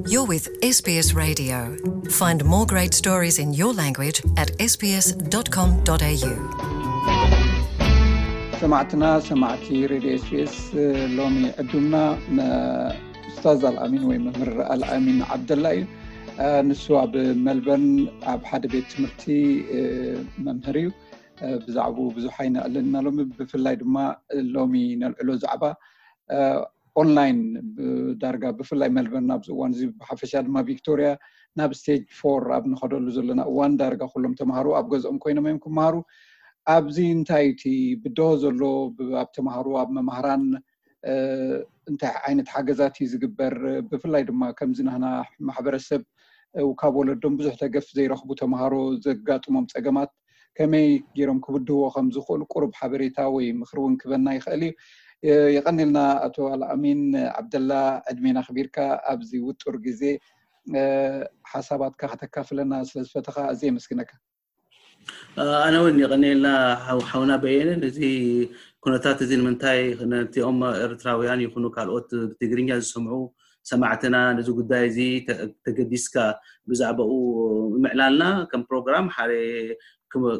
You're with S B S Radio. Find more great stories in your language at S B S dot com dot A U. ሰማዕትና፣ ሰማዕቲ ሬድዮ ኤስቢኤስ፣ ሎሚ ዕዱምና መ- ኡስታዝ ኣልኣሚን ወይ መምህር ኣልኣሚን ዓብደላ እዩ። ንሱ ኣብ መልበርን ኣብ ሓደ ቤት ትምህርቲ መምህር እዩ። ብዛዕባኡ ብዙሕ ኣይነዕልልና ሎሚ። ብፍላይ ድማ ሎሚ ነልዕሎ ዛዕባ ኦንላይን፣ ዳርጋ ብፍላይ መልበርን ኣብዚ እዋን እዚ፣ ብሓፈሻ ድማ ቪክቶሪያ ናብ ስቴጅ ፎር ኣብ ንኸደሉ ዘለና እዋን፣ ዳርጋ ኩሎም ተምሃሮ ኣብ ገዝኦም ኮይኖም እዮም ክመሃሩ። ኣብዚ እንታይ እቲ ብድሆ ዘሎ፣ ብ- ኣብ ተምሃሮ፣ ኣብ መማህራን እንታይ ዓይነት ሓገዛት እዩ ዝግበር? ብፍላይ ድማ ከምዚ ናህና ማሕበረሰብ ካብ ወለዶም ብዙሕ ደገፍ ዘይረኽቡ ተምሃሮ ዘጋጥሞም ፀገማት ከመይ ገይሮም ክብድህዎ ከም ዝኽእሉ ቁሩብ ሓበሬታ ወይ ምኽሪ እውን ክበና ይኽእል እዩ። የቐኒልና ኣቶ ኣልኣሚን ዓብደላ፣ ዕድሜና ኣኽቢርካ ኣብዚ ውጡር ግዜ ሓሳባትካ ከተካፍለና ስለ ዝፈተኻ ኣዝየ የመስግነካ። ኣነ እውን የቐንየልና ሓውና በየነ። ነዚ ኩነታት እዚ ንምንታይ ነቲኦም ኤርትራውያን ይኹኑ ካልኦት ብትግርኛ ዝሰምዑ ሰማዕትና ነዚ ጉዳይ እዚ ተገዲስካ ብዛዕባኡ ምዕላልና ከም ፕሮግራም ሓደ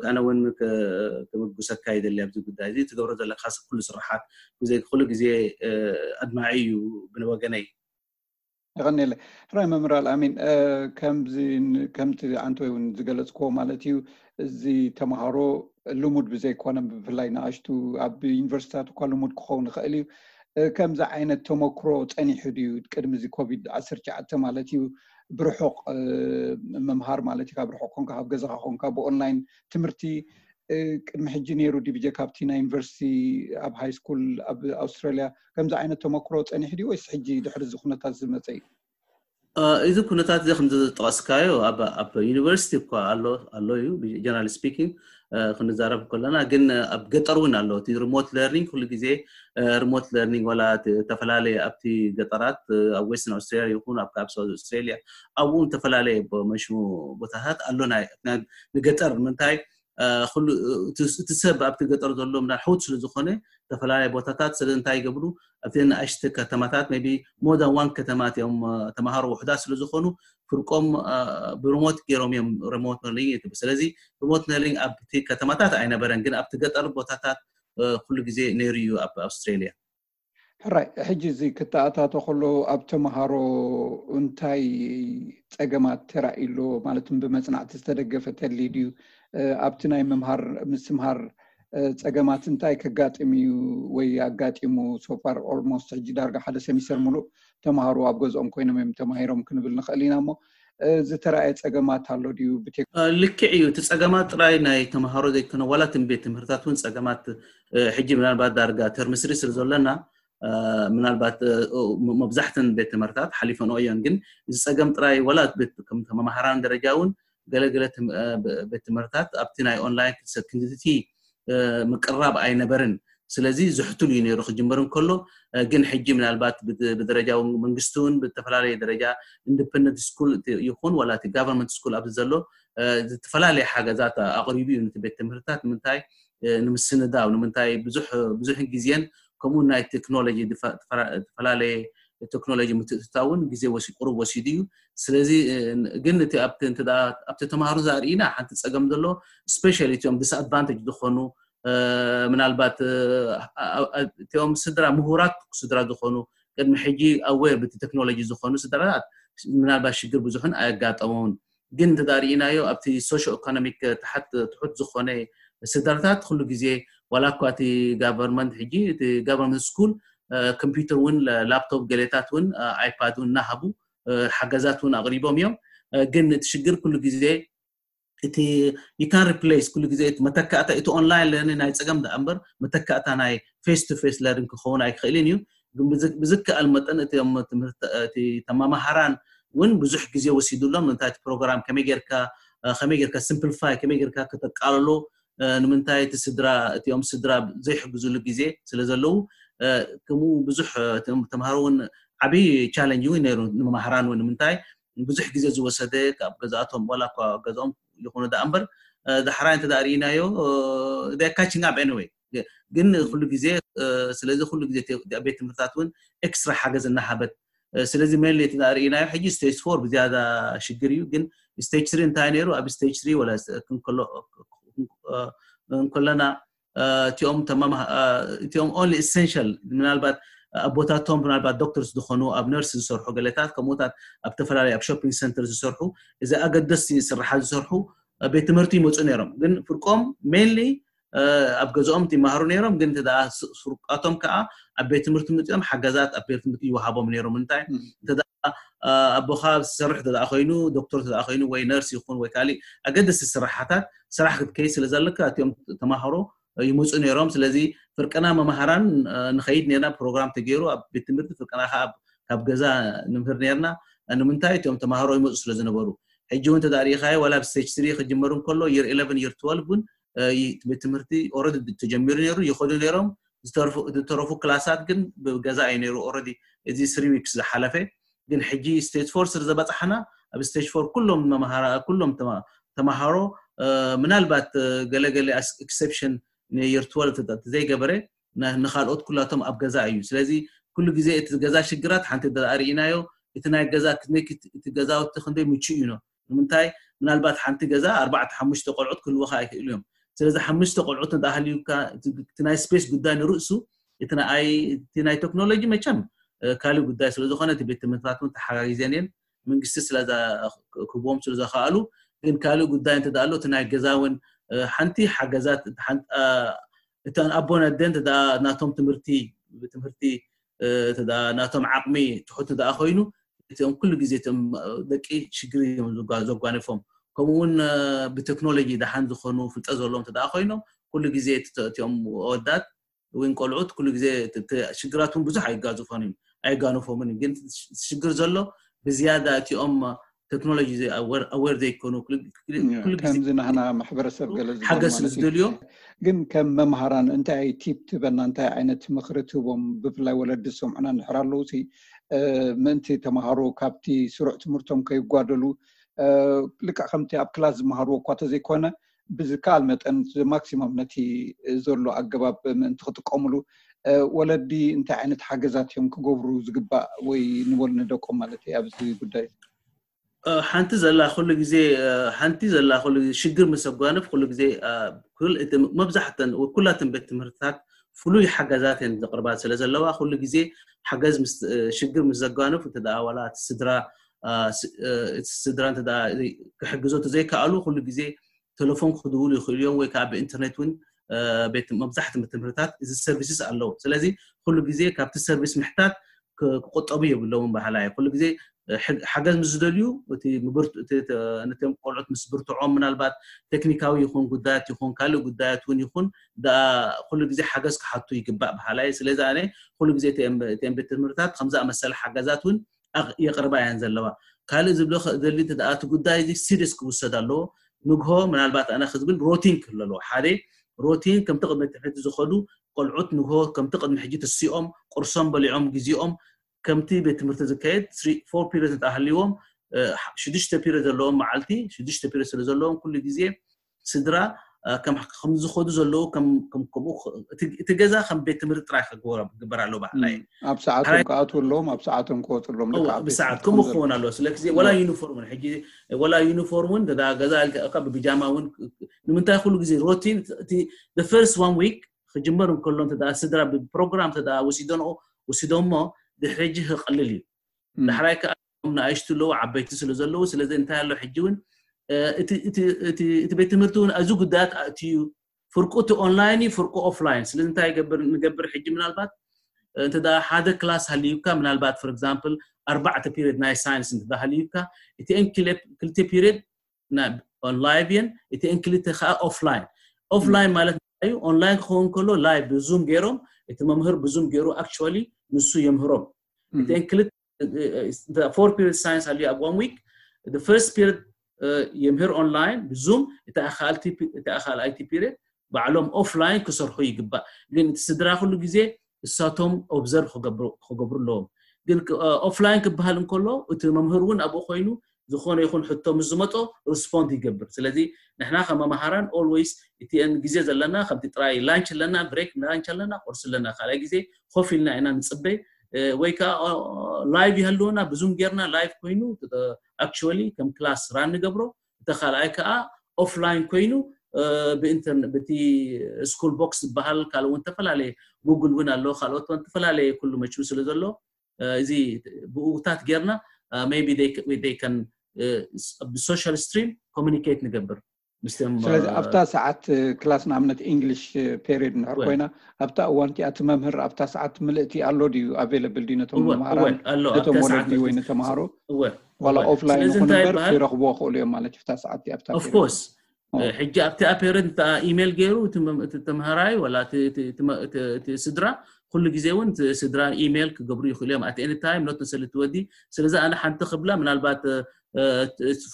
ኣነ እውን ክምጉሰካ ይደሊ ኣብዚ ጉዳይ እዚ ትገብሮ ዘለካ ኩሉ ስራሓት ብዘይ ኩሉ ግዜ ኣድማዒ እዩ ብወገነይ። የቐንየለ ሕራይ መምህር ኣልኣሚን፣ ከምዚ ከምቲ ኣንተ እውን ዝገለፅክዎ ማለት እዩ። እዚ ተምሃሮ ልሙድ ብዘይኮነ ብፍላይ ንኣሽቱ ኣብ ዩኒቨርሲቲታት እኳ ልሙድ ክኸውን ይኽእል እዩ። ከምዚ ዓይነት ተመክሮ ፀኒሑ ድዩ ቅድሚ እዚ ኮቪድ ዓሰርተ ትሽዓተ ማለት እዩ? ብርሑቕ ምምሃር ማለት እዩ፣ ካብ ርሑቕ ኮንካ ካብ ገዛኻ ኮንካ ብኦንላይን ትምህርቲ ቅድሚ ሕጂ ነይሩ ድዩ ብጀካ ኣብቲ ናይ ዩኒቨርሲቲ ኣብ ሃይ ስኩል ኣብ ኣውስትራሊያ ከምዚ ዓይነት ተመክሮ ፀኒሑ ድዩ ወይስ ሕጂ ድሕሪ እዚ ኩነታት ዝመፀ እዩ? እዚ ኩነታት እዚ ከም ዝጠቐስካዮ ኣብ ዩኒቨርሲቲ እኳ ኣሎ ኣሎ እዩ ጀነራል ስፒኪንግ ክንዛረብ ከለና ግን ኣብ ገጠር እውን ኣሎ እቲ ሪሞት ለርኒንግ ኩሉ ግዜ ሪሞት ለርኒንግ ዋላ ተፈላለየ ኣብቲ ገጠራት ኣብ ዌስተርን ኣውስትራሊያ ይኹን ኣብ ካብ ሳውዝ ኣውስትራሊያ ኣብኡ ዝተፈላለየ መሽሙ ቦታታት ኣሎ ንገጠር ምንታይ እቲ ሰብ ኣብቲ ገጠር ዘሎ ምና ሕውት ስለ ዝኾነ ዝተፈላለየ ቦታታት ስለ እንታይ ይገብሩ ኣብቲ ንኣሽቲ ከተማታት ቢ more than one ከተማ እዮም ተምሃሮ ውሕዳት ስለ ዝኾኑ ፍርቆም ብሪሞት ገይሮም እዮም ሪሞት ለርኒንግ ስለዚ ሪሞት ለርኒንግ ኣብቲ ከተማታት ኣይነበረን ግን ኣብቲ ገጠር ቦታታት ኩሉ ግዜ ነይሩ እዩ ኣብ ኣውስትራሊያ። ሕራይ ሕጂ እዚ ክተኣታቶ ከሎ ኣብ ተምሃሮ እንታይ ፀገማት ተራእዩ ኣሎ? ማለት ብመፅናዕቲ ዝተደገፈ ተድልዩ ድዩ? ኣብቲ ናይ ምምሃር ምስትምሃር ፀገማት እንታይ ከጋጥም እዩ ወይ ኣጋጢሙ? ሶፋር ኦልሞስት ሕጂ ዳርጋ ሓደ ሰሚስተር ሙሉእ ተምሃሮ ኣብ ገዝኦም ኮይኖም እዮም ተማሂሮም ክንብል ንኽእል ኢና እሞ ዝተረኣየ ፀገማት ኣሎ ድዩ? ልክዕ እዩ። እቲ ፀገማት ጥራይ ናይ ተምሃሮ ዘይኮነ ዋላ ትም ቤት ትምህርታት እውን ፀገማት ሕጂ ምናልባት ዳርጋ ተርሚ ስሪ ስለ ዘለና ምናልባት መብዛሕተን ቤት ትምህርታት ሓሊፈንኦ እዮን ግን እዚ ፀገም ጥራይ ዋላ ከም መማሃራን ደረጃ እውን ገለገለ ቤት ትምህርታት ኣብቲ ናይ ኦንላይን ክትሰክንድቲ ምቅራብ ኣይነበርን ስለዚ ዝሕትሉ እዩ ነይሩ ክጅመር እንከሎ ግን ሕጂ ምናልባት ብደረጃ መንግስቲ እውን ብተፈላለየ ደረጃ ኢንዲፐንደንት ስኩል ይኹን ዋላ እቲ ጋቨርንመንት ስኩል ኣብዚ ዘሎ ዝተፈላለየ ሓገዛት ኣቕሪቡ እዩ ነቲ ቤት ትምህርትታት ንምንታይ ንምስንዳው ንምንታይ ብዙሕ ብዙሕ ግዜን ከምኡ ናይ ቴክኖሎጂ ዝተፈላለየ ቴክኖሎጂ ምትእትታውን ግዜ ወሲ ቁሩብ ወሲዱ እዩ ስለዚ ግን እቲ ኣብቲ ተምሃሮ ዝኣርእና ሓንቲ ፀገም ዘሎ ስፔሻሊ እቲኦም ዲስኣድቫንቴጅ ዝኾኑ ምናልባት እቲኦም ስድራ ምሁራት ስድራ ዝኾኑ ቅድሚ ሕጂ ኣዌር ብቲ ቴክኖሎጂ ዝኾኑ ስድራታት ምናልባት ሽግር ብዙሕን ኣየጋጠሞምን ግን እንተ ርእናዮ ኣብቲ ሶሾ ኢኮኖሚክ ትሕት ዝኾነ ስድራታት ኩሉ ግዜ ዋላ እኳ እቲ ጋቨርንመንት ሕጂ እቲ ጋቨርንመንት ስኩል ኮምፒውተር እውን ላፕቶፕ ገሌታት እውን ኣይፓድ እውን እናሃቡ ሓገዛት እውን ኣቕሪቦም እዮም ግን እቲ ሽግር ኩሉ ግዜ እቲ you can replace ኩሉ ግዜ እቲ መተካእታ እቲ ኦንላይን ለርኒንግ ናይ ፀገም ደኣ እምበር መተካእታ ናይ ፌስ ቱ ፌስ ለርኒንግ ክኸውን ኣይክእልን እዩ ግን ብዝከኣል መጠን እቲኦም ትምህርቲ ተመማሃራን እውን ብዙሕ ግዜ ወሲዱሎም እንታይ እቲ ፕሮግራም ከመይ ጌርካ ከመይ ጌርካ ሲምፕሊፋይ ከመይ ጌርካ ከተቃልሎ ንምንታይ እቲ ስድራ እቲኦም ስድራ ዘይሕግዙሉ ግዜ ስለ ዘለዉ ከምኡ ብዙሕ ተምሃሮ እውን ዓብዪ ቻለንጅ እውን ነይሩ ንመማሃራን እውን ንምንታይ ብዙሕ ግዜ ዝወሰደ ካብ ገዛእቶም ዋላ እኳ ገዛኦም ይኹኑ ደኣ እምበር ዳሕራይ እንተ ርእናዮ ካችንግ ኣፕ ኤኒወይ ግን ኩሉ ግዜ ስለዚ ኩሉ ግዜ ቤት ትምህርታት እውን ኤክስትራ ሓገዝ እናሃበት ስለዚ mainly እቲ ርኢናዮ ሕጂ stage four ብዝያዳ ሽግር እዩ። ግን stage three እንታይ ነይሩ? ኣብ stage three ወላ እንከለና እቲኦም እቲኦም only essential ምናልባት ኣቦታቶም ምናልባት ዶክተርስ ዝኾኑ ኣብ ነርስ ዝሰርሑ ገለታት ከምኡታት ኣብ ተፈላለዩ ኣብ shopping center ዝሰርሑ እዚ ኣገደስቲ ስራሓት ዝሰርሑ ቤት ትምህርቲ ይመፁ ነይሮም። ግን ፍርቆም mainly ኣብ ገዝኦም ይመሃሩ ነይሮም። ግን እንተ ፍርቃቶም ከዓ ኣብ ቤት ትምህርቲ መፅኦም ሓገዛት ኣብ ቤት ትምህርቲ ይወሃቦም ነይሮም። እንታይ እንተ ኣቦኻ ዝሰርሕ እንተ ኮይኑ ዶክተር እንተ ኮይኑ ወይ ነርስ ይኹን ወይ ካሊእ ኣገደስቲ ስራሓታት ስራሕ ክትከይ ስለ ዘለካ እቲኦም ተማሃሮ ይመፁ ነይሮም። ስለዚ ፍርቅና መምሃራን ንኸይድ ነርና ፕሮግራም ተገይሩ ኣብ ቤት ትምህርቲ ፍርቅና ከዓ ካብ ገዛ ንምህር ነርና። ንምንታይ እቲኦም ተማሃሮ ይመፁ ስለ ዝነበሩ። ሕጂ እውን ተዳሪእኻዮ ዋላ ብ stage three ክጅመር እንከሎ year eleven year twelve እውን ቤት ትምህርቲ already ተጀሚሩ ነይሩ ይኸዱ ነይሮም። ዝተረፉ ክላሳት ግን ብገዛ እዩ ነይሩ። Already እዚ three weeks ዝሓለፈ ግን ሕጂ stage four ስር ዘበፃሕና ኣብ stage four ኩሎም መምሃራ ኩሎም ተማሃሮ ምናልባት ገለገለ exception year twelve ዘይገበረ ንካልኦት ኩላቶም ኣብ ገዛ እዩ። ስለዚ ኩሉ ግዜ እቲ ገዛ ሽግራት ሓንቲ ርኢናዮ። እቲ ናይ ገዛ እቲ ገዛውቲ ክንደይ ምቹ እዩ ነው ንምንታይ ምናልባት ሓንቲ ገዛ ኣርባዕተ ሓሙሽተ ቆልዑት ክህልወካ ኣይክእሉ እዮም። ስለዚ ሓሙሽተ ቆልዑት እንተሃልዩካ እቲ ናይ space ጉዳይ ንርእሱ እቲ ናይ ቴክኖሎጂ መቸም ካልእ ጉዳይ ስለዝኾነ እቲ ቤት ትምህርትታት እውን ተሓጋጊዘን እየን መንግስቲ ስለዛ ክህቦም ስለዘኽኣሉ። ግን ካልእ ጉዳይ እንተ ኣሎ እቲ ናይ ገዛ እውን ሓንቲ ሓገዛት እተን ኣቦን ኣደን ናቶም ትምህርቲ ትምህርቲ ናቶም ዓቕሚ ትሑት እንተ ኮይኑ እቲኦም ኩሉ ግዜ እቶም ደቂ ሽግር እዮም ዘጓነፎም። ከምኡ እውን ብቴክኖሎጂ ደሓን ዝኾኑ ፍልጠት ዘለዎም እንተ ኮይኖም ኩሉ ግዜ እቲኦም ወዳት ወይ ቆልዑት ኩሉ ግዜ ሽግራትን ብዙሕ ኣይጋዝፎን እዩ ኣይጋነፎምን። ግን ሽግር ዘሎ ብዝያዳ እቲኦም ቴክኖሎጂ aware ዘይኮኑ ከምዚ ናህና ማሕበረሰብ ገለ ሓገዝ ስለ ዝደልዮ። ግን ከም መምሃራን እንታይ ቲፕ ትበና እንታይ ዓይነት ምክሪ ትህቦም ብፍላይ ወለዲ ዝሰምዑና እንድሕር ኣለዉ ምእንቲ ተምሃሮ ካብቲ ስሩዕ ትምህርቶም ከይጓደሉ ልክዕ ከምቲ ኣብ ክላስ ዝመሃርዎ እኳ ተዘይኮነ ብዝከኣል መጠን ማክሲሞም ነቲ ዘሎ ኣገባብ ምእንቲ ክጥቀምሉ ወለዲ እንታይ ዓይነት ሓገዛት እዮም ክገብሩ ዝግባእ ወይ ንበሉ ንደቆም ማለት እዩ ኣብዚ ጉዳይ? ሓንቲ ዘላ ኩሉ ግዜ ሓንቲ ዘላ ኩሉ ግዜ ሽግር ምስ ኣጓንፍ ኩሉ ግዜ መብዛሕተን ኩላትን ቤት ትምህርትታት ፍሉይ ሓገዛት እየን ዘቕርባ ስለ ዘለዋ ኩሉ ግዜ ሓገዝ ሽግር ምስ ዘጓንፍ እንተ ዋላ እቲ ስድራ ስድራ እንተ ክሕግዞ ዘይከኣሉ ኩሉ ግዜ ቴሌፎን ክድውሉ ይኽእሉ እዮም ወይ ከዓ ብኢንተርኔት እውን መብዛሕትኡ ትምህርትታት እዚ services ኣለዉ። ስለዚ ኩሉ ግዜ ካብቲ service ምሕታት ክቆጠቡ የብለውን በሃላይ ኩሉ ግዜ ሓገዝ ምስ ዝደልዩ እቲ ነቶም ቆልዑት ምስ ብርትዖም ምናልባት ቴክኒካዊ ይኹን ጉዳያት ይኹን ካልእ ጉዳያት እውን ይኹን ኩሉ ግዜ ሓገዝ ክሓቱ ይግባእ በሃላይ። ስለዚ ኣነ ኩሉ ግዜ እቲአን ቤት ትምህርትታት ከምዝኣመሰለ ሓገዛት እውን የቕርባ እየን ዘለዋ። ካልእ ዝብሎ ዘሊ እቲ ጉዳይ እዚ serious ክውሰድ ኣለዎ። ንግሆ ምናልባት ኣነ ክዝብል ሮቲን ክህሉ ኣለዎ። ሓደ ሮቲን ከምቲ ቅድሚ ትምህርቲ ዝኸዱ ቆልዑት ንግሆ ከምቲ ቅድሚ ሕጂ ተሲኦም ቁርሶም በሊዖም ግዜኦም ከምቲ ቤት ትምህርቲ ዝካየድ four period እንተሃልዎም ሽዱሽተ period ዘለዎም መዓልቲ ሽዱሽተ period ስለ ዘለዎም ኩሉ ግዜ ስድራ ከም ዝኸዱ ዘለዉ ከምኡ እቲ ገዛ ከም ቤት ትምህርቲ ጥራይ ክግበር ኣለዎ በዓላይ። ኣብ ሰዓቶም ክኣትዉ ኣለዎም ኣብ ሰዓቶም ክወፁ ኣለዎም። ብሰዓት ከምኡ ክኸውን ኣለዎ። ስለ ግዜ ወላ ዩኒፎርም እውን ሕጂ ወላ ዩኒፎርም እውን ገዛ ኢልካ ብቢጃማ እውን ንምንታይ ኩሉ ግዜ ሮቲን እቲ first one week ክጅመር እንከሎ እንተ ስድራ ብፕሮግራም እንተ ወሲዶንኦ ወሲዶሞ ድሕሪ ሕጂ ክቐልል እዩ። ዳሕራይ ከዓ ንኣሽቱ ኣለዉ ዓበይቲ ስለ ዘለዉ ስለዚ እንታይ ኣሎ ሕጂ እውን እቲ ቤት ትምህርቲ እውን እዚ ጉዳያት ኣእትዩ ፍርቁ እቲ ኦንላይን እዩ ፍርቁ ኦፍላይን ስለዚ እንታይ ንገብር ሕጂ ምናልባት እንተ ሓደ ክላስ ሃልዩካ ምናልባት for example ኣርባዕተ period ናይ ሳይንስ እንተ ሃልዩካ እቲአን ክልተ period ላይቭ እየን እቲአን ክልተ ከዓ ኦፍላይን። ኦፍላይን ማለት እዩ ኦንላይን ክኸውን ከሎ ላይቭ ብዙም ገይሮም እቲ መምህር ብዙም ገይሩ actually ንሱ የምህሮም። እቲአን ክልተ four period ሳይንስ ሃልዩ ኣብ one week first period የምህር ኦንላይን ብዙም እቲ ካልኣይቲ period ባዕሎም ኦፍላይን ክሰርሑ ይግባእ። ግን እቲ ስድራ ኩሉ ግዜ እሳቶም ኦብዘርቭ ክገብሩ ኣለዎም። ግን ኦፍላይን ክበሃል እንከሎ እቲ መምህር እውን ኣብኡ ኮይኑ ዝኾነ ይኹን ሕቶ ምስ ዝመጦ ሪስፖንድ ይገብር። ስለዚ ንሕና ከም መምሃራን always እቲአን ግዜ ዘለና ከምቲ ጥራይ ላንች ኣለና ብሬክ ላንች ኣለና ቁርሲ ኣለና ካልኣይ ግዜ ኮፍ ኢልና ኢና ንፅበይ ወይ ከዓ ላይቭ ይህልወና ብዙም ጌርና ላይቭ ኮይኑ actually ከም ክላስ ራን ንገብሮ። እቲ ካልኣይ ከዓ ኦፍላይን ኮይኑ ብኢንተርኔት ብቲ ስኩል ቦክስ ዝበሃል ካልእ እውን ዝተፈላለየ ጉግል እውን ኣሎ ካልኦት እውን ዝተፈላለየ ኩሉ መችቡ ስለ ዘሎ እዚ ብኡታት ጌርና maybe they can ብሶሻል ስትሪም ኮሚኒኬት ንገብር ምስቶም ስለዚ ኣብታ ሰዓት ክላስ ንኣብነት ኢንግሊሽ ፔሪድ እንድሕር ኮይና ኣብታ እዋን እቲኣ እቲ መምህር ኣብታ ሰዓት ምልእቲ ኣሎ ድዩ ኣቬለብል ድዩ ነቶም መምሃራን ነቶም ወለዲ ወይ ንተምሃሮ ዋላ ኦፍላይን ይኹን እምበር ክረኽብዎ ክእሉ እዮም ማለት ኣብታ ሰዓት ኣብታ ኦፍኮርስ ሕጂ ኣብቲ ኣፔረንት ኢሜል ገይሩ እቲ ተምሃራይ ወላ እቲ ስድራ ኩሉ ግዜ እውን ስድራ ኢሜል ክገብሩ ይኽእሉ እዮም ኣት ኤኒ ታይም ኖት ንሰሊ ትወዲ ስለዚ ኣነ ሓንቲ ክብላ ምናልባት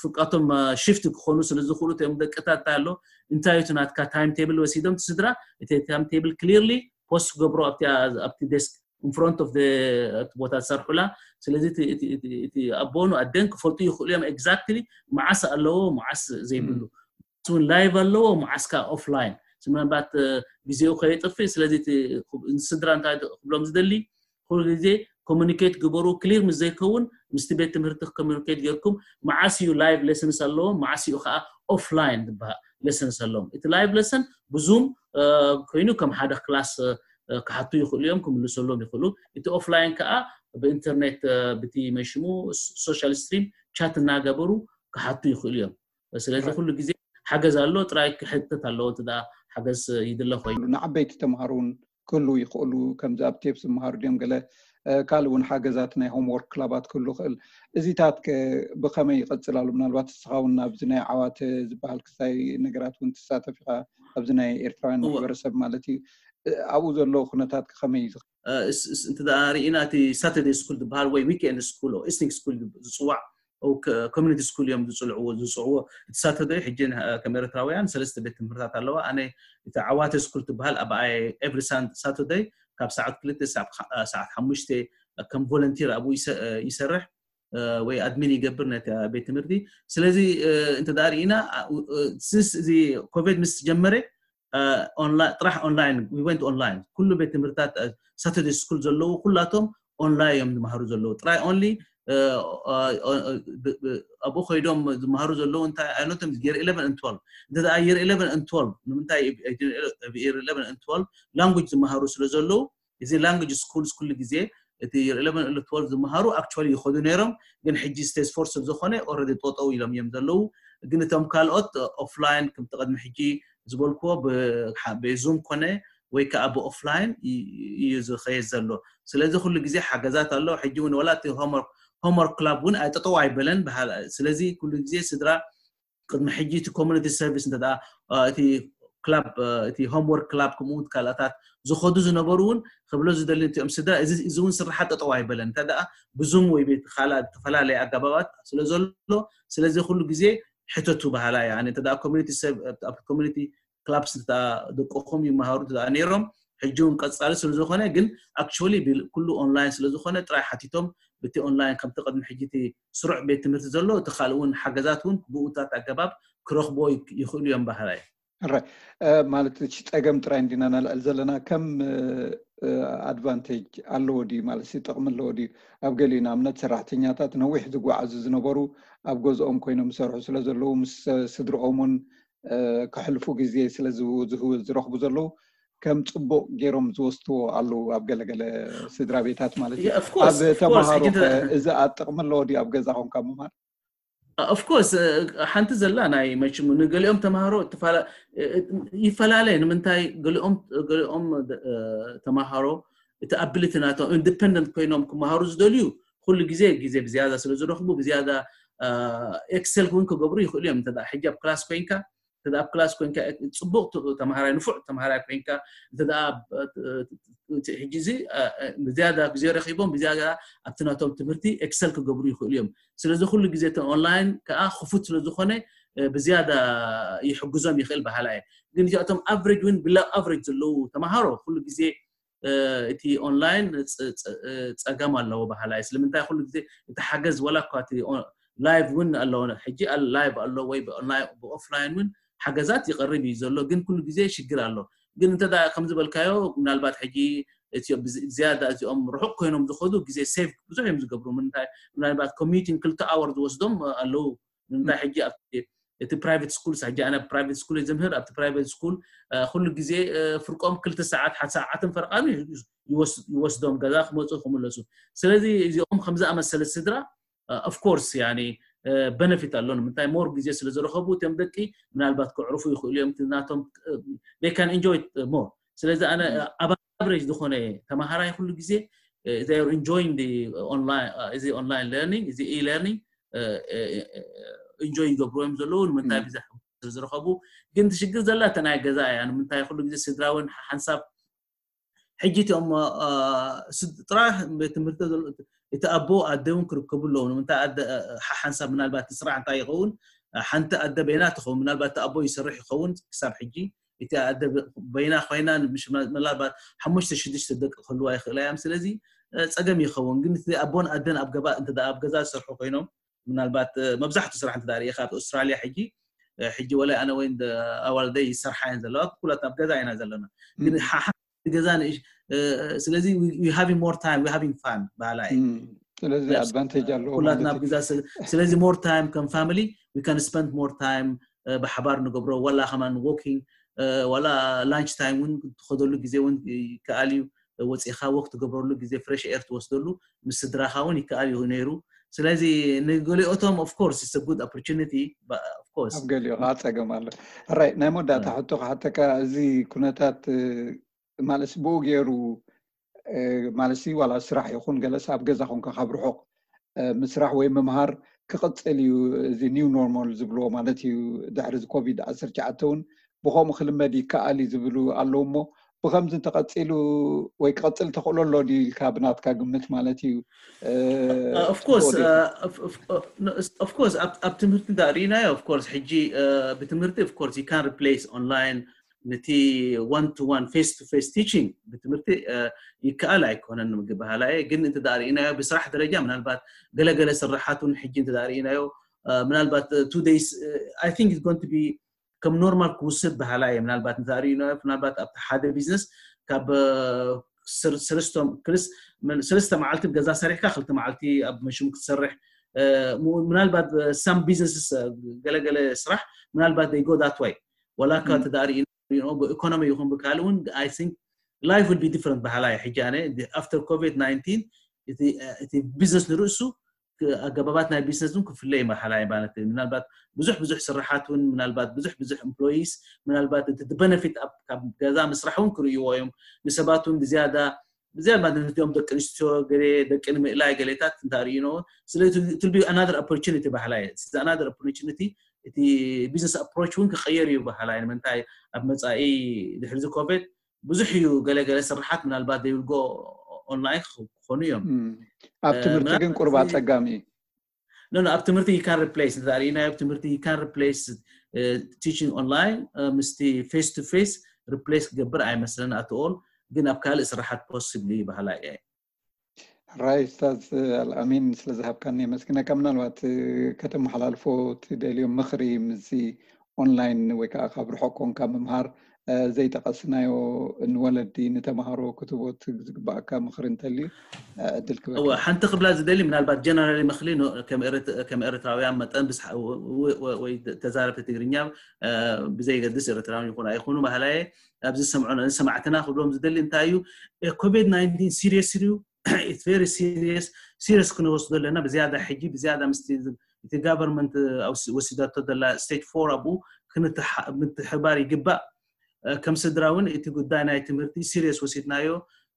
ፍቃቶም ሽፍት ክኾኑ ስለ ዝኽእሉ እቶም ደቅታት እንታይ ኣሎ እንታይ እቲ ናትካ ታይም ቴብል ወሲዶም ስድራ እቲ ታይም ቴብል ክሊርሊ ፖስት ክገብሮ ኣብቲ ዴስክ in front of the ቦታ ዝሰርሑላ ስለዚ እቲ ኣቦኑ ኣደን ክፈልጡ ይኽእሉ እዮም ኤግዛክትሊ መዓስ ኣለዎ መዓስ ዘይብሉ እውን ላይቭ ኣለዎ መዓስ ከዓ ኦፍላይን ምናልባት ግዜኡ ከየጥፍእ ስለዚ ስድራ እንታይ ክብሎም ዝደሊ ኩሉ ግዜ ኮሚኒኬት ግበሩ ክሊር ምስ ዘይከውን ምስቲ ቤት ትምህርቲ ኮሚኒኬት ጌርኩም መዓስ እዩ ላይቭ ሌሰንስ ኣለዎም መዓስ እዩ ከዓ ኦፍላይን ዝበሃል ሌሰንስ ኣለዎም እቲ ላይቭ ሌሰን ብዙም ኮይኑ ከም ሓደ ክላስ ክሓቱ ይኽእሉ እዮም ክምልሰሎም ይኽእሉ እቲ ኦፍላይን ከዓ ብኢንተርኔት ብቲ መሽሙ ሶሻል ስትሪም ቻት እናገበሩ ክሓቱ ይኽእሉ እዮም ስለዚ ኩሉ ግዜ ሓገዝ ኣሎ ጥራይ ክሕተት ኣለዎ እቲ ሓገዝ ይድለ ኮይኑ ንዓበይቲ ተምሃሮ እውን ክህሉ ይኽእሉ ከምዚ ኣብ ቴፕ ዝመሃሩ ድዮም ገለ ካልእ እውን ሓገዛት ናይ ሆምወርክ ክላባት ክህሉ ይኽእል እዚታት ብኸመይ ይቐፅል ኣሎ ምናልባት እስኻ እውን ኣብዚ ናይ ዓዋተ ዝበሃል ክስታይ ነገራት እውን ትሳተፍ ኢኻ ኣብዚ ናይ ኤርትራውያን ማሕበረሰብ ማለት እዩ ኣብኡ ዘሎ ኩነታት ከመይ እዩ እንተ ርኢና እቲ ሳተርደይ ስኩል ዝበሃል ወይ ዊክኤንድ ስኩል ኢስኒንግ ስኩል ዝፅዋዕ ኮሚኒቲ ስኩል እዮም ዝፅልዕዎ ዝፅዕዎ እቲ ሳተርደይ ሕጂ ከም ኤርትራውያን ሰለስተ ቤት ትምህርታት ኣለዋ ኣነ እቲ ዓዋተ ስኩል ትበሃል ኣብ ኤቭሪ ሳተርደይ ካብ ሰዓት ክልተ ሰዓት ሓሙሽተ ከም ቮለንቲር ኣብኡ ይሰርሕ ወይ ኣድሚን ይገብር ነቲ ቤት ትምህርቲ ስለዚ እንተ ርኢና ስንስ እዚ ኮቪድ ምስ ጀመረ ጥራሕ ኦንላይን ዊ ወንት ኦንላይን ኩሉ ቤት ትምህርታት ሳተርደይ ስኩል ዘለዉ ኩላቶም ኦንላይን እዮም ዝመሃሩ ዘለዉ ጥራይ ኦንሊ ኣብኡ ኮይዶም ዝመሃሩ ዘለዉ እንታይ ኣይነቶም year eleven and twelve እንተ year eleven and twelve ንምንታይ year eleven and twelve language ዝመሃሩ ስለ ዘለዉ እዚ language schools ኩሉ ግዜ እቲ eleven and twelve ዝመሃሩ actually ይኸዱ ነይሮም ግን ሕጂ stage four ስለ ዝኾነ already ጠጠው ኢሎም እዮም ዘለዉ ግን እቶም ካልኦት ኦፍላይን ከምቲ ቅድሚ ሕጂ ዝበልክዎ ብዙም ኮነ ወይ ከዓ ብኦፍላይን እዩ ዝኸየድ ዘሎ ስለዚ ኩሉ ግዜ ሓገዛት ኣሎ ሕጂ እውን ወላ እቲ ሆምወርክ ክላብ እውን ኣይጠጠው ኣይበለን ስለዚ ኩሉ ግዜ ስድራ ቅድሚ ሕጂ እቲ ኮሚኒቲ ሰርቪስ እንተ እቲ ክላብ እቲ ሆምወርክ ክላብ ከምኡውን ካልኣታት ዝኸዱ ዝነበሩ እውን ክብሎ ዝደሊ እቲኦም ስድራ እዚ እውን ስራሓት ጠጠው ኣይበለን እንተ ብዙም ወይ ቤት ካልኣ ዝተፈላለየ ኣገባባት ስለ ዘሎ ስለዚ ኩሉ ግዜ ሕተቱ ባህላ እያ ኣነ እንተ ኮሚኒቲ ክላብስ ደቅኹም ይመሃሩ ነይሮም ሕጂ እውን ቀፃሊ ስለ ዝኾነ ግን actually ኩሉ ኦንላይን ስለ ዝኾነ ጥራይ ሓቲቶም ብቲ ኦንላይን ከምቲ ቅድሚ ሕጂ እቲ ስሩዕ ቤት ትምህርቲ ዘሎ እቲ ካልእ እውን ሓገዛት እውን ብኡታት ኣገባብ ክረኽቦ ይኽእሉ እዮም ባህላ እዩ ሕራይ ማለት እቲ ፀገም ጥራይ እንዲና ነልዕል ዘለና ከም ኣድቫንቴጅ ኣለዎ ድዩ ማለት ጥቕሚ ኣለዎ ድዩ ኣብ ገሊኡ ንኣብነት ሰራሕተኛታት ነዊሕ ዝጓዓዙ ዝነበሩ ኣብ ገዝኦም ኮይኖም ዝሰርሑ ስለ ዘለዉ ምስ ስድርኦም እውን ከሕልፉ ግዜ ስለ ዝረኽቡ ዘለዉ ከም ፅቡቅ ገይሮም ዝወስድዎ ኣለዉ ኣብ ገለገለ ስድራ ቤታት ማለት እዩ ኣብ ተምሃሮ እዚ ኣጥቅሚ ኣለዎ ድዩ ኣብ ገዛ ኮንካ ምማር ኦፍኮርስ ሓንቲ ዘላ ናይ መችሙ ንገሊኦም ተምሃሮ ይፈላለ ንምንታይ ገሊኦም ተምሃሮ እቲ ኣቢሊቲ ናቶም ኢንዲፐንደንት ኮይኖም ክመሃሩ ዝደልዩ ኩሉ ግዜ ግዜ ብዝያዳ ስለ ዝረኽቡ ብዝያዳ ኤክሰል እውን ክገብሩ ይኽእሉ እዮም እንተ ሕጂ ኣብ ክላስ ኮይንካ እንተ ኣብ ክላስ ኮይንካ ፅቡቅ ተምሃራይ ንፉዕ ተምሃራይ ኮይንካ እንተ ሕጂ እዚ ብዝያዳ ግዜ ረኪቦም ብዝያዳ ኣብቲ ናቶም ትምህርቲ ኤክሰል ክገብሩ ይኽእሉ እዮም ስለዚ ኩሉ ግዜ ኦንላይን ከዓ ክፉት ስለዝኾነ ብዝያዳ ይሕግዞም ይኽእል ባህላ እየ ግን እዚኣቶም ኣቨሬጅ እውን ብላ ኣቨሬጅ ዘለዉ ተምሃሮ ኩሉ ግዜ እቲ ኦንላይን ፀገም ኣለዎ ባህላ እዩ ስለምንታይ ኩሉ ግዜ እቲ ሓገዝ ወላ እኳ እቲ ላይቭ እውን ኣለዎ ሕጂ ላይቭ ኣሎ ወይ ብኦፍላይን እውን ሓገዛት ይቀርብ እዩ ዘሎ ግን ኩሉ ግዜ ሽግር ኣሎ ግን እንተ ከም ዝበልካዮ ምናልባት ሕጂ እዚኦም ብዝ- ዝያዳ እዚኦም ርሑቕ ኮይኖም ዝኸዱ ግዜ ሴቭ ብዙሕ እዮም ዝገብሩ። ምንታይ ምናልባት ኮሚዩቲንግ ክልተ ኣወር ዝወስዶም ኣለዉ። ምንታይ ሕጂ ኣብ እቲ ፕራይቬት ስኩልስ ሕጂ ኣነ ፕራይቬት ስኩል እየ ዘምህር። ኣብቲ ፕራይቬት ስኩል ኩሉ ግዜ ፍርቆም ክልተ ሰዓት ሓደ ሰዓትን ፈርቓን ይወስዶም ገዛ ክመፁ ክምለሱ። ስለዚ እዚኦም ከምዝኣመሰለ ስድራ ኦፍኮርስ ያኒ በነፊት ኣሎ። ንምንታይ ሞር ግዜ ስለ ዝረኸቡ እቶም ደቂ ምናልባት ክዕርፉ ይኽእሉ እዮም። ናቶም they can enjoy more። ስለዚ ኣነ ኣብ ኣቨሬጅ ዝኾነ ተማሃራይ ኩሉ ግዜ they are enjoying the online እዚ online learning እዚ e-learning ኢንጆይ ይገብሩ እዮም ዘለዉ። ንምንታይ ብዛ ዝረኸቡ ግን ትሽግር ዘላ እተ ናይ ገዛ እያ። ንምንታይ ኩሉ ግዜ ስድራ እውን ሓንሳብ ሕጂ እቲኦም ጥራሕ ቤት ትምህርቲ እቲ ኣቦ ኣደ እውን ክርከቡ ኣለዉ። ንምንታይ ሓሓንሳብ ምናልባት ስራሕ እንታይ ይኸውን ሓንቲ ኣደ በይና ትኸውን ምናልባት እቲ ኣቦ ይሰርሕ ይኸውን ክሳብ ሕጂ እቲ ኣደ በይና ኮይና ምናልባት ሓሙሽተ ሽዱሽተ ደቂ ክህልዋ ይኽእላ እዮም። ስለዚ ፀገም ይኸውን ግን እቲ ኣቦን ኣደን ኣብ ገባ እንተ ኣብ ገዛ ዝሰርሑ ኮይኖም ምናልባት መብዛሕቱ ስራሕ እንተ ርኢኻ ኣብ ኣውስትራልያ ሕጂ ሕጂ ወላ ኣነ ወይ ኣዋልደይ ይሰርሓ እየን ዘለዋ ኩላት ኣብ ገዛ ኢና ዘለና ግን ሓሓ ገዛ ንእሽ ስለዚ having more time having fun ባህላ እዩ። ስለዚ ኣድቫንቴጅ ኣለዎ ኩላትና ኣብ ገዛ ስለዚ more time ከም family we can spend more time ብሓባር ንገብሮ ዋላ ከማን ዎኪንግ ዋላ ላንች ታይም እውን ትኸደሉ ግዜ እውን ይከኣል እዩ። ወፂኻ ወክ ትገብረሉ ግዜ ፍሬሽ ኤር ትወስደሉ ምስ ስድራኻ እውን ይከኣል እዩ ነይሩ። ስለዚ ንገሊኦቶም of course it's a good opportunity of course ኣብ ገሊኦ ከዓ ፀገም ኣሎ። ሕራይ ናይ መወዳእታ ሕቶ ክሓተካ እዚ ኩነታት ማለት ብኡ ገይሩ ማለት ዋላ ስራሕ ይኹን ገለስ ኣብ ገዛ ኮንካ ካብ ርሑቕ ምስራሕ ወይ ምምሃር ክቕፅል እዩ። እዚ ኒው ኖርማል ዝብልዎ ማለት እዩ። ድሕሪ እዚ ኮቪድ ዓሰርተ ትሽዓተ እውን ብኸምኡ ክልመድ ይከኣል እዩ ዝብሉ ኣለዉ እሞ ብከምዚ እንተቐፂሉ ወይ ክቐፅል ተኽእሎ ኣሎ ድዩ ኢልካ ብናትካ ግምት ማለት እዩ? ኦፍኮርስ ኣብ ትምህርቲ እንዳ ርኢናዮ ኦፍኮርስ ሕጂ ብትምህርቲ ኦፍኮርስ you can replace online ነቲ one to one face to face teaching ብትምህርቲ ይከኣል ኣይኮነን ምግባሃላ እየ። ግን እንተ ርኢናዮ ብስራሕ ደረጃ ምናልባት ገለገለ ስራሓት እውን ሕጂ እንተ ርኢናዮ ምናልባት two days I think it's going to be ከም ኖርማል ክውሰድ በሃላ እየ። ምናልባት እንተ ርኢናዮ ምናልባት ኣብቲ ሓደ ቢዝነስ ካብ ሰለስተ መዓልቲ ገዛ ሰሪሕካ ክልተ መዓልቲ ኣብ መሽም ክትሰርሕ ምናልባት some businesses ገለገለ ስራሕ ምናልባት they go that way ወላ እኳ ተዳሪ ኢኮኖሚ ይኹን ብካል እውን I think life will be different በሃላ እየ። ሕጂ ኣነ after ኮቪድ ናይንቲን እቲ ቢዝነስ ንርእሱ ኣገባባት ናይ ቢዝነስ እውን ክፍለ ይመርሓላ ማለት እዩ። ምናልባት ብዙሕ ብዙሕ ስራሓት እውን ምናልባት ብዙሕ ብዙሕ employees ምናልባት እቲ benefit ካብ ገዛ ምስራሕ እውን ክርእይዎ እዮም። ንሰባት እውን ብዝያዳ ብዝያዳ ማለት ነዚኦም ደቂ ኣንስትዮ ገለ ደቂ ንምእላይ ገሌታት እንታ ርእይኖ ስለ it will be another opportunity በሃላ እየ። It's another opportunity እቲ business approach እውን ክቀየር እዩ በሃላ እየ። ንምንታይ ኣብ መፃኢ ድሕሪ ኮቪድ ብዙሕ እዩ ገለገለ ስራሓት ምናልባት they will go online ክኾኑ እዮም። ኣብ ትምህርቲ ግን ቁርብ ኣፀጋሚ እዩ። No, no, ኣብ ትምህርቲ you can replace እንተ ርኢናዮ ኣብ ትምህርቲ you can replace teaching online ምስቲ face to face replace ክገብር ኣይመስለን at all። ግን ኣብ ካልእ ስራሓት possibly በሃላ እየ። ሕራይ ኡስታዝ ኣልኣሚን ስለ ዝሃብካኒ የመስግነካ። ምናልባት ከተመሓላልፎ ትደልዮ ምኽሪ ምስዚ ኦንላይን ወይ ከዓ ካብ ርሑቕ ኮንካ ምምሃር ዘይጠቐስናዮ ንወለዲ ንተምሃሮ ክትቦት ዝግባኣካ ምኽሪ እንተልዩ ዕድል ክበካ። ሓንቲ ክብላ ዝደሊ ምናልባት ጀነራሊ ምኽሊ ከም ኤርትራውያን መጠን ወይ ተዛረብቲ ትግርኛ ብዘይገድስ ኤርትራውን ይኹን ኣይኹኑ ባህላየ ኣብዚ ዝሰምዑ ንሰማዕትና ክብሎም ዝደሊ እንታይ እዩ ኮቪድ ናይንቲን serious እዩ። It's very serious። Serious ክንወስዶ ኣለና ብዝያዳ ሕጂ ብዝያዳ ምስ እቲ government ወሲዳቶ ዘላ stage four ኣብኡ ምትሕባር ይግባእ። ከም ስድራ እውን እቲ ጉዳይ ናይ ትምህርቲ serious ወሲድናዮ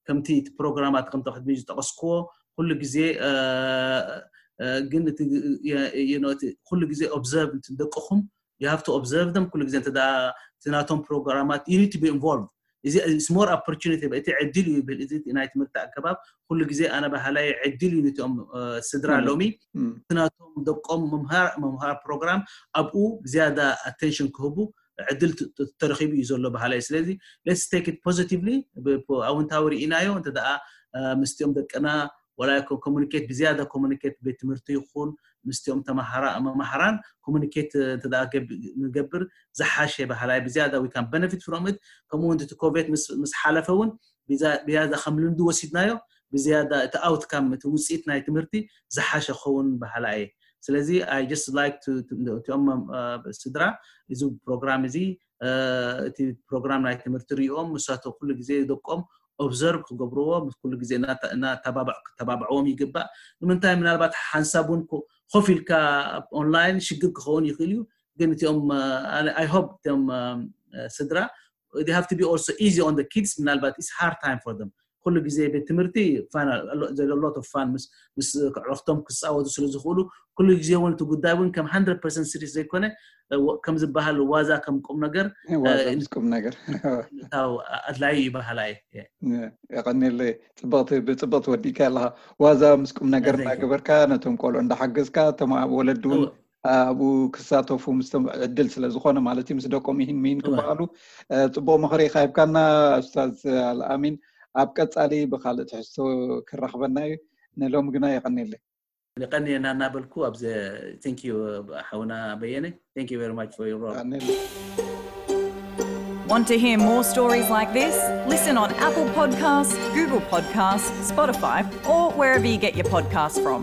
ከምቲ እቲ ፕሮግራማት ከምቲ ቅድሚ ዝጠቐስክዎ ኩሉ ግዜ ግን ኩሉ ግዜ observe ደቅኹም you have to observe them ኩሉ ግዜ እንተ እቲ ናቶም ፕሮግራማት you need to be involved። እዚ more opportunity እቲ ዕድል እዩ ይብል እዚ ናይ ትምህርቲ ኣገባብ ኩሉ ግዜ ኣነ ባህላይ ዕድል እዩ ነቲኦም ስድራ ሎሚ ናቶም ደቆም ምምሃር ፕሮግራም ኣብኡ ብዝያዳ attention ክህቡ ዕድል ተረኺቡ እዩ ዘሎ ባህላይ። ስለዚ let's take it positively ኣውንታዊ ርኢናዮ እንተ ደኣ ምስቲኦም ደቅና ወላ ኮሙኒኬት ብዝያዳ ኮሙኒኬት ቤት ትምህርቲ ይኹን ምስቲኦም ተማሃራ መማሃራን ኮሙኒኬት እንተ ንገብር ዝሓሸ ባህላይ ብዝያዳ we can benefit from it። ከምኡ እውን እቲ ኮቪድ ምስ ሓለፈ እውን ብዝያዳ ከም ልምዲ ወሲድናዮ ብዝያዳ እቲ ኣውትካም እቲ ውፅኢት ናይ ትምህርቲ ዝሓሸ ክኸውን በሃላ እየ። ስለዚ I just like to እቲኦም ስድራ እዚ ፕሮግራም እዚ እቲ ፕሮግራም ናይ ትምህርቲ ሪኦም ምሳቶ ኩሉ ግዜ ደቆም ኦብዘርቭ ክገብርዎ ኩሉ ግዜ እናተባብዕዎም ይግባእ። ንምንታይ ምናልባት ሓንሳብ እውን ኮፍ ኢልካ ኦንላይን ሽግር ክኸውን ይኽእል እዩ። ግን እቲኦም I hope እቲኦም ስድራ they have to be also easy on the kids። ምናልባት it's hard time for them። ኩሉ ግዜ ቤት ትምህርቲ fun lot of fun ምስ ኣዕሩኽቶም ክፃወቱ ስለ ዝኽእሉ ኩሉ ግዜ እውን እቲ ጉዳይ እውን ከም hundred percent serious ዘይኮነ ከም ዝበሃል ዋዛ ከም ቁም ነገር ዋዛ ምስ ቁም ነገር ኣድላዩ ይበሃላ እየ። የቐኒለይ። ብፅብቕቲ ወዲእካ ኣለኻ። ዋዛ ምስ ቁም ነገር እናገበርካ ነቶም ቆልዑ እንዳሓገዝካ እቶም ወለዲ እውን ኣብኡ ክሳተፉ ምስቶም ዕድል ስለ ዝኾነ ማለት እዩ ምስ ደቆም ይህን ምሂን ክበሃሉ ፅቡቕ ምኽሪ ኢኻ ሂብካና ኡስታዝ ኣልኣሚን። ኣብ ቀፃሊ ብካልእ ትሕዝቶ ክራኽበና እዩ። ንሎሚ ግና የቐኒለይ። የቐንየና እናበልኩ ኣብዚ thank you ሓውና በየነ thank you very much for your role። Want to hear more stories like this? Listen on Apple Podcasts, Google Podcasts, Spotify, or wherever you get your podcasts from.